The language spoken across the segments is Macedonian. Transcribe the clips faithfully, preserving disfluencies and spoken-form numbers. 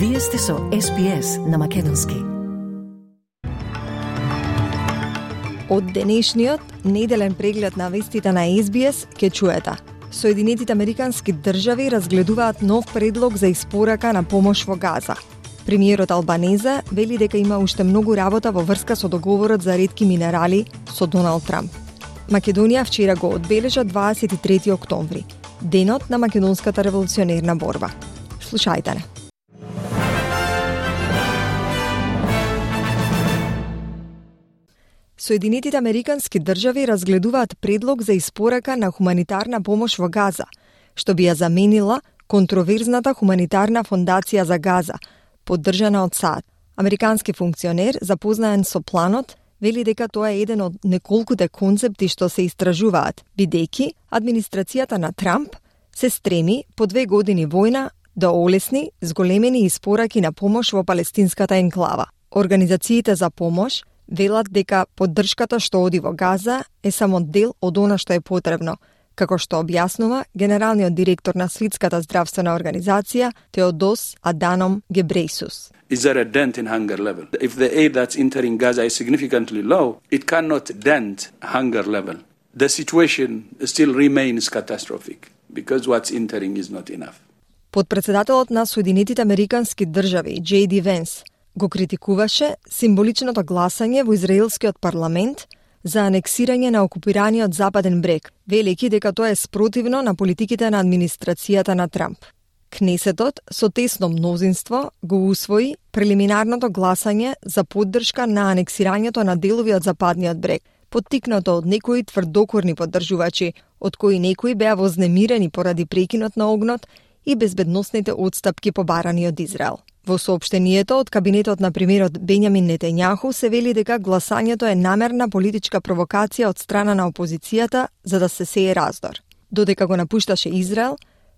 Вие сте со Ес Би Ес на македонски. Од денешниот неделен преглед на вестите на Ес Би Ес ке чуете. Соединетите американски држави разгледуваат нов предлог за испорака на помош во Газа. Премиерот Албанезе вели дека има уште многу работа во врска со договорот за ретки минерали со Доналд Трамп. Македонија вчера го одбележа дваесет и трети октомври, денот на македонската револуционерна борба. Слушајте не. Соединетите американски држави разгледуваат предлог за испорака на хуманитарна помош во Газа, што би ја заменила контроверзната хуманитарна фондација за Газа, поддржана од САД. Американски функционер, запознаен со планот, вели дека тоа е еден од неколкуте концепти што се истражуваат, бидејќи администрацијата на Трамп се стреми по две години војна да олесни зголемени испораки на помош во палестинската енклава. Организациите за помош велат дека поддршката што оди во Газа е само дел од она што е потребно, како што објаснува генералниот директор на Светската здравствена организација Теодос Аданом Гебрейсус. Is there a dent in hunger level? If the aid that's entering Gaza is significantly low, it cannot dent hunger level. The situation still remains catastrophic because what's entering is not enough. Подпредседателот на Соединетите американски држави Джей Ди Венс го критикуваше символичното гласање во израелскиот парламент за анексирање на окупираниот Западен брег, велики дека тоа е спротивно на политиките на администрацијата на Трамп. Кнесетот со тесно мнозинство го усвои прелиминарното гласање за поддршка на анексирањето на делови од Западниот брег, поттикнато од некои тврдокорни поддржувачи, од кои некои беа вознемирени поради прекинот на огнот и безбедносните отстапки побарани од Израел. Во соопштението од кабинетот на премиерот Бењамин Нетањаху се вели дека гласањето е намерна политичка провокација од страна на опозицијата за да се сее раздор. Додека го напушташе Израел,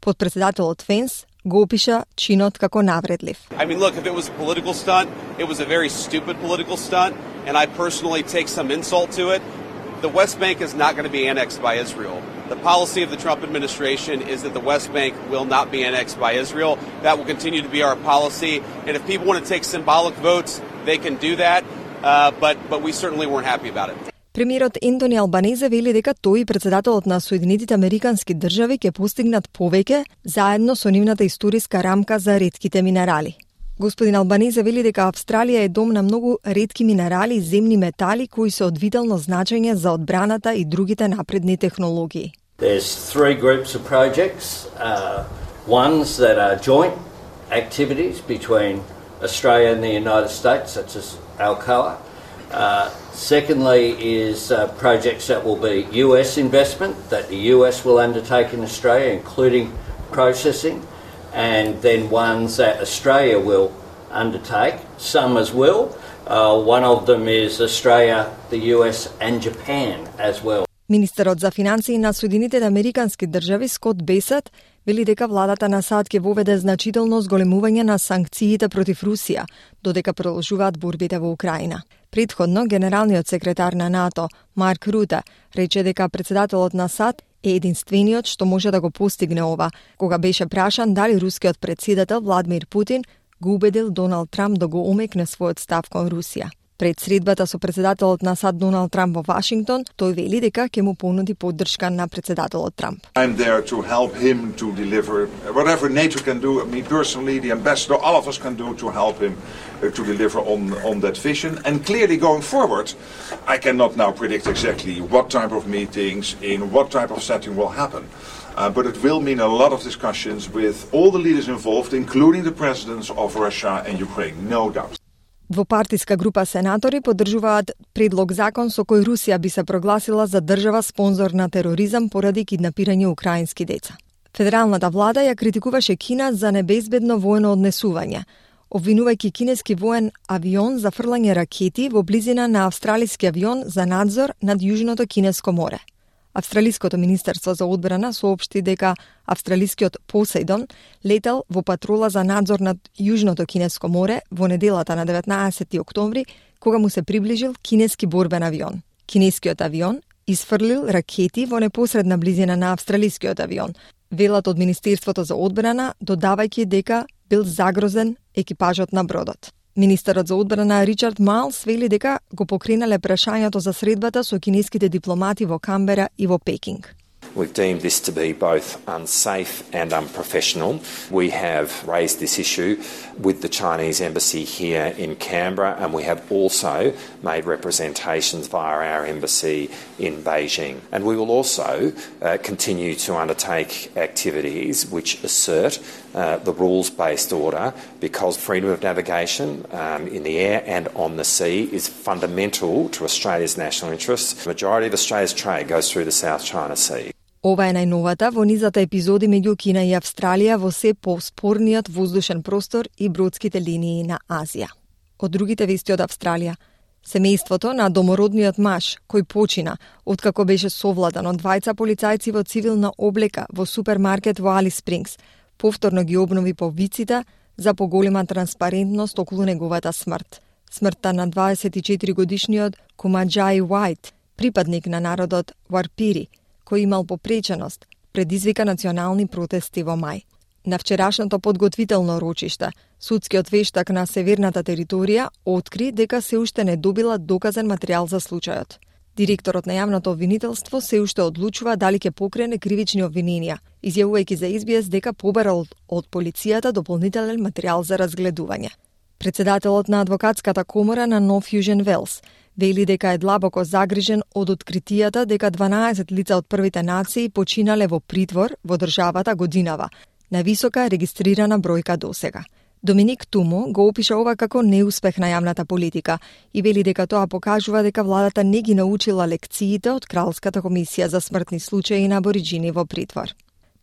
подпредседателот Венс го опиша чинот како навредлив. I mean, look, if it was a political stunt, it was a very stupid political stunt, and I personally take some insult to it. The West Bank is not going to be annexed by Israel. The policy of the Trump administration is that the West Bank will not be annexed by Israel. That will continue to be our policy. And if people want to take symbolic votes, they can do that. Uh, but but we certainly weren't happy about it. Премиерот Ентони Албанезе вели дека тој и председателот на Соединетите американски држави ќе постигнат повеќе заедно со нивната историска рамка за ретките минерали. Господин Албанезе вели дека Австралија е дом на многу ретки минерали и земни метали кои се од витално значење за одбраната и другите напредни технологии. There's three groups of projects, uh, ones that are joint activities between Australia and the United States, such as Alcoa. Uh, secondly is uh, projects that will be U S investment that the U S will undertake in Australia, including processing. And then ones that Australia will undertake, some as well. Uh, one of them is Australia, the U S and Japan as well. Министерот за финансии на Соединетите американски држави Скот Бесет вели дека владата на САД ќе воведе значително зголемување на санкциите против Русија, додека продолжуваат борбите во Украина. Претходно, генералниот секретар на НАТО, Марк Руте, рече дека председателот на САД е единствениот што може да го постигне ова, кога беше прашан дали рускиот председател Владимир Путин го убедил Доналд Трамп да го омекне својот став кон Русија. Пред средбата со председателот на САД Доналд Трамп во Вашингтон, тој вели дека ќе му понуди поддршка на председателот Трамп. I'm there to help him to deliver whatever NATO can do, me personally, the ambassador, all of us can do to help him uh, to deliver on on that vision. And clearly going forward, I cannot now predict exactly what type of meetings in what type of setting will happen. Uh, but it will mean a lot of discussions with all the leaders involved, including the presidents of Russia and Ukraine, no doubt. Двопартиска група сенатори поддржуваат предлог закон со кој Русија би се прогласила за држава спонзор на тероризам поради киднапирање украински деца. Федералната влада ја критикуваше Кина за небезбедно воено однесување, обвинувајќи кинески воен авион за фрлање ракети во близина на австралиски авион за надзор над Јужното Кинеско море. Австралиското министерство за одбрана соопшти дека австралискиот Посейдон летел во патрола за надзор над Јужното Кинеско море во неделата на деветнаесети октомври, кога му се приближил кинески борбен авион. Кинескиот авион изфрлил ракети во непосредна близина на австралискиот авион, велат од Министерството за одбрана, додавајќи дека бил загрозен екипажот на бродот. Министерот за одбрана Ричард Майлс вели дека го покренале прашањето за средбата со кинеските дипломати во Камбера и во Пекинг. We've deemed this to be both unsafe and unprofessional. We have raised this issue with the Chinese embassy here in Canberra, and we have also made representations via our embassy in Beijing. And we will also uh, continue to undertake activities which assert uh, the rules-based order, because freedom of navigation um, in the air and on the sea is fundamental to Australia's national interests. The majority of Australia's trade goes through the South China Sea. Ова е најновата во низата епизоди меѓу Кина и Австралија во се поспорниот воздушен простор и бродските линии на Азија. Од другите вести од Австралија, семејството на домородниот маж кој почина откако беше совладан од двајца полицајци во цивилна облека во супермаркет во Алис Спрингс, повторно ги обнови повиците за поголема транспарентност околу неговата смрт. Смртта на дваесет и четири годишниот Кумаџаи Уајт, припадник на народот Варпири, кој имал попреченост, предизвика национални протести во мај. На вчерашното подготвително рочиште, судскиот вештак на северната територија откри дека се уште не добила доказен материјал за случајот. Директорот на јавното обвинителство се уште одлучува дали ќе покрене кривични обвиненија, изјавувајќи за Ес Би Ес дека побарал од полицијата дополнителен материјал за разгледување. Председателот на адвокатската комора на Нов Јужен Велс вели дека е длабоко загрижен од откритијата дека дванаесет лица од првите нации починале во притвор во државата годинава, највисока регистрирана бројка досега. Доминик Тумо го опиша ова како неуспех на јавната политика и вели дека тоа покажува дека владата не ги научила лекциите од Кралската комисија за смртни случаи на абориџини во притвор.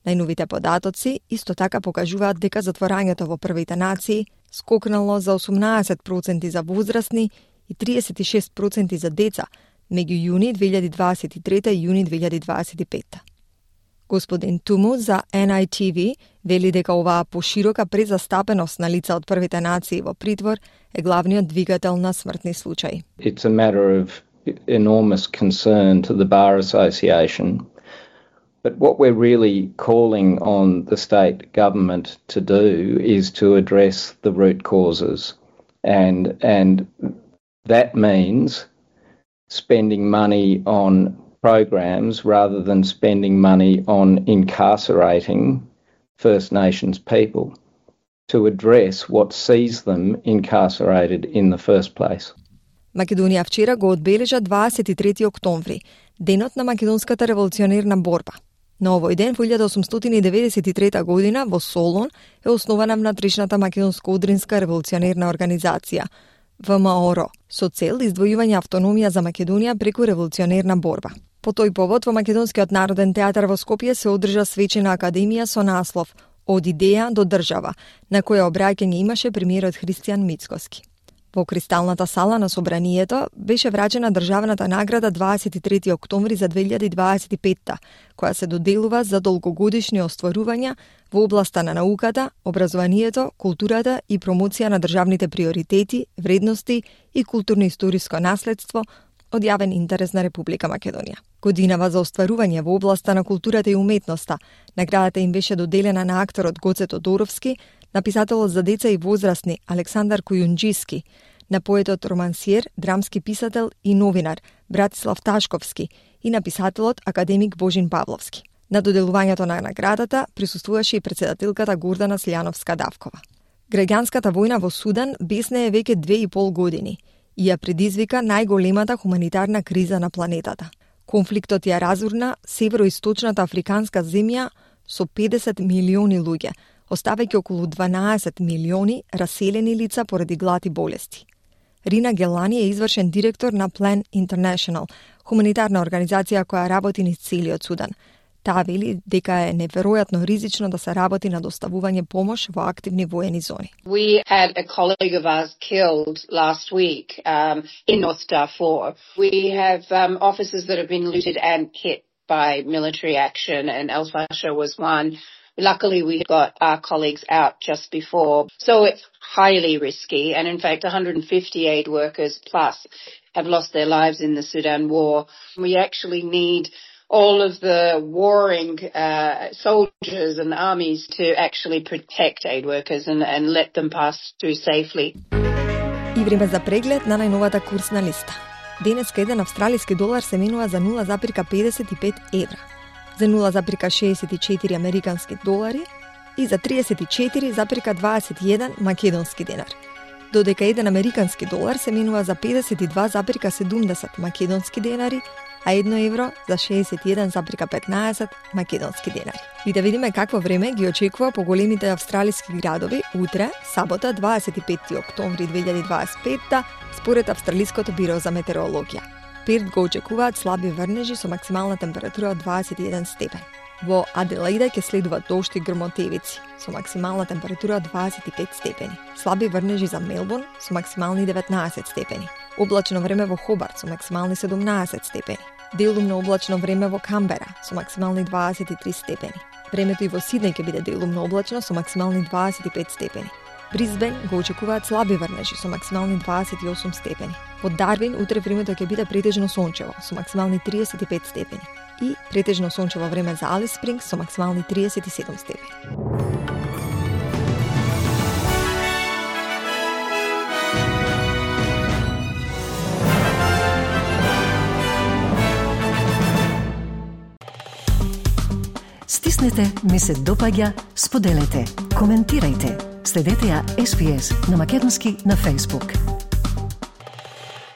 Најновите податоци исто така покажуваат дека затворањето во првите нации скокнало за осумнаесет проценти за возрастни и триесет и шест проценти за деца меѓу јуни две илјади дваесет и трета и јуни две илјади дваесет и петта. Господин Туму за Ен Ај Ти Ви вели дека оваа поширока презастапеност на лица од првите нации во притвор е главниот двигател на смртни случаи. It's a matter of enormous concern to the Bar Association. But what we're really calling on the state government to do is to address the root causes. And, and that means spending money on programs rather than spending money on incarcerating First Nations people to address what sees them incarcerated in the first place. Македонија вчера го одбележа дваесет и трети октомври, денот на македонската револуционерна борба. На овој ден во илјада осумстотини деветдесет и трета година во Солун е основана внатрешната македонско-одринска револуционерна организација В М О Р со цел издвојување автономија за Македонија преку револуционерна борба. По тој повод во Македонскиот народен театар во Скопје се одржа свечена академија со наслов Од идеја до држава, на која обраќање имаше премиерот Христијан Мицкоски. Во Кристалната сала на собранието беше врачена државната награда дваесет и трети октомври за две илјади дваесет и петта, која се доделува за долгогодишни остварувања во областа на науката, образованието, културата и промоција на државните приоритети, вредности и културно-историско наследство од јавен интерес на Република Македонија. Годинава за остварување во областа на културата и уметноста, наградата им беше доделена на акторот Гоце Тодоровски, на писателот за деца и возрастни Александар Кујунџиски, на поетот романсиер, драмски писател и новинар Братислав Ташковски и на писателот академик Божин Павловски. На доделувањето на наградата присуствуваше и председателката Гордана Слјановска-Давкова. Граѓанската војна во Судан бесне е веќе две и пол години и ја предизвика најголемата хуманитарна криза на планетата. Конфликтот ја разурна североисточната африканска земја со педесет милиони луѓе, оставајќи околу дванаесет милиони раселени лица поради глад и болести. Рина Гелани е извршен директор на Plan International, хуманитарна организација која работи низ целиот Судан. Таа вели дека е неверојатно ризично да се работи на доставување помош во активни воени зони. We had a colleague of ours killed last week um, in North Darfur. We have um, offices that have been looted and hit by military action, and El Fasher was one. Luckily, we got our colleagues out just before. So it's highly risky. And in fact, one hundred fifty aid workers plus have lost their lives in the Sudan war. We actually need all of the warring uh, soldiers and armies to actually protect aid workers and, and let them pass through safely. И време за преглед на најновата курсна листа. Денеска еден австралиски долар се менува за нула запирка педесет и пет евра, за нула запирка шеесет и четири американски долари и за триесет и четири запирка дваесет и еден македонски денар. Додека еден американски долар се менува за педесет и два запирка седумдесет македонски денари, а едно евро за шеесет и еден запирка петнаесет македонски денари. И да видиме какво време ги очекува по големите австралиски градови утре, сабота, дваесет и петти октомври две илјади дваесет и петта, според Австралиското биро за метеорологија. Перт го очекуваат слаби врнежи со максимална температура од дваесет и еден степен. Во Аделаида ќе следуваат дожд и грмотевици со максимална температура од дваесет и пет степени. Слаби врнежи за Мелбурн со максимални деветнаесет степени. Облачно време во Хобарт со максимални седумнаесет степени. Делумно облачно време во Камбера со максимални дваесет и три степени. Времето и во Сиднеј ќе биде делумно облачно со максимални дваесет и пет степени. Брисбен го очекуваат слаби врнежи со максимални дваесет и осум степени. Во Дарвин утре времето ќе биде претежно сончево со максимални триесет и пет степени и претежно сончево време за Алис Спрингс со максимални триесет и седум степени. Стиснете, ми се допаѓа, споделете, коментирајте. Следете ја Ес Би Ес на македонски на Facebook.